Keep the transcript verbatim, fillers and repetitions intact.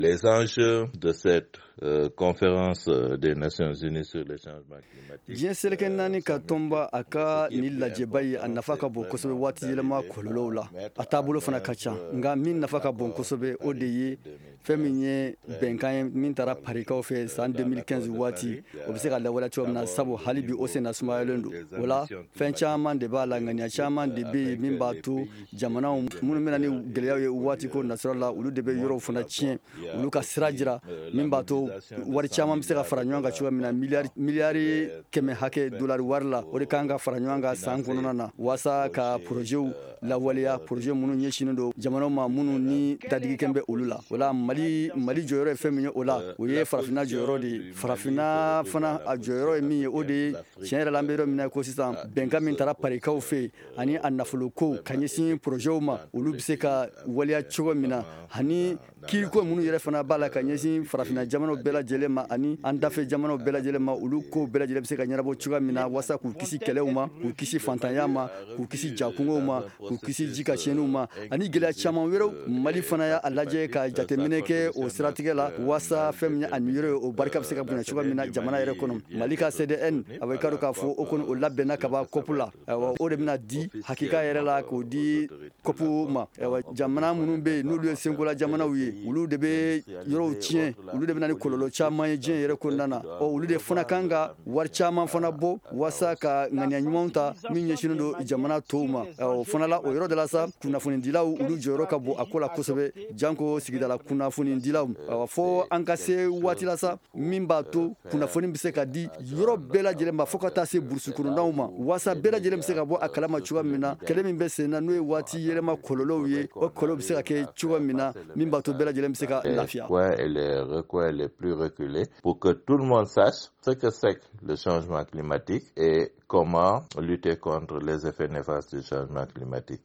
Les enjeux de cette euh, conférence des Nations Unies sur le changement climatique. Diɲɛ seleke naani ka tɔnba a ka nin lajɛba ye, a nafa ka bon kosɛbɛ waati yɛlɛma kɔlɔlɔw la. A taabolo fana ka ca, nka min nafa ka bon kosɛbɛ, o de ye fɛn min ye bɛnkan ye min taara Parikaw fɛ san deux mille quinze waati, o bɛ se ka lawaleya cogo min na, sabu hali bi o senna sumayalen don. O la, fɛn caman de b'a la, ŋaniya caman de bɛ yen min b'a to jamanaw minnu bɛna ni gɛlɛyaw ye waati ko nasira la, olu de bɛ yɔrɔw fana tiɲɛ, olu ka sira jira min b'a to wari caman bɛ se ka fara ɲɔgɔn kan cogoya min na. Miliyari miliyari kɛmɛ hakɛ dolari wari la, o de kan ka fara ɲɔgɔn kan san kɔnɔna na waasa ka porozɛw lawaleya, poroze minnu ɲɛsinnen don jamanaw ma minnu ni dadigikɛn bɛ olu la. O la, mali mali jɔyɔrɔ ye fɛn min ye o la, o ye Farafinna jɔyɔrɔ de ye. Farafinna fana a jɔyɔrɔ ye min ye, o de ye tiɲɛ yɛrɛ la, an bɛ yɔrɔ min na ko sisan, bɛnkan min taara Parikaw fɛ yen ani a nafoloko ka ɲɛsin porozɛw ma, olu bɛ se ka waleya cogo min na, ani kiiriko minnu yɛrɛ fana b'a la ka ɲɛsin Farafinna jamanaw bɛɛ lajɛlen ma ani an dafɛ jamanaw bɛɛ lajɛlen ma, olu kow bɛɛ lajɛlen bɛ se ka ɲɛnabɔ cogoya min na, waasa k'u kisi kɛlɛw ma, k'u kisi fantanya ma, k'u kisi jakungow ma, k'u kisi ji ka tiɲɛniw ma ani gɛlɛya caman wɛrɛw. Mali fana y'a lajɛ ka jateminɛ kɛ o siratigɛ la waasa fɛn min ye a niyɔrɔ ye, o barika bɛ se ka bonya cogoya min na jamana yɛrɛ kɔnɔ. Mali ka C D N, a bɛ ka dɔn k'a fɔ o kɔni o labɛnna ka ban C O P la. Ayiwa, o de bɛna di hakika yɛrɛ la k'o di C O P ma. Ayiwa, jamana minnu bɛ yen n'olu ye senkola jamanaw ye, olu de bɛ yɔrɔw tiɲɛ, olu de bɛ na ni kɔlɔlɔ caman ye diɲɛ yɛrɛ kɔnɔna na. Ɔ, olu de fana kan ka wari caman fana bɔ waasa ka ŋaniya ɲumanw ta min ɲɛsinnen don jamana tɔw ma. O fana la, o yɔrɔ de la sa, kunnafonidilaw, olu jɔyɔrɔ ka bon a ko la kosɛbɛ, janko sigidala kunnafonidilaw. Fo an ka se waati la sa min b'a to kunnafoni bɛ se ka di yɔrɔ bɛɛ lajɛlen ma, fo ka taa se burusi kɔnɔnaw ma, waasa bɛɛ lajɛlen bɛ se ka bɔ a kalama cogoya min na kɛlɛ min bɛ sen na, n'o ye waati yɛlɛma kɔlɔlɔw ye, o kɔlɔlɔ bɛ se ka kɛ cogo min na min b'a to bɛɛ lajɛlen bɛ se ka lafiya. Et les recoins les plus reculés pour que tout le monde sache ce que c'est que le changement climatique et comment lutter contre les effets néfastes du changement climatique.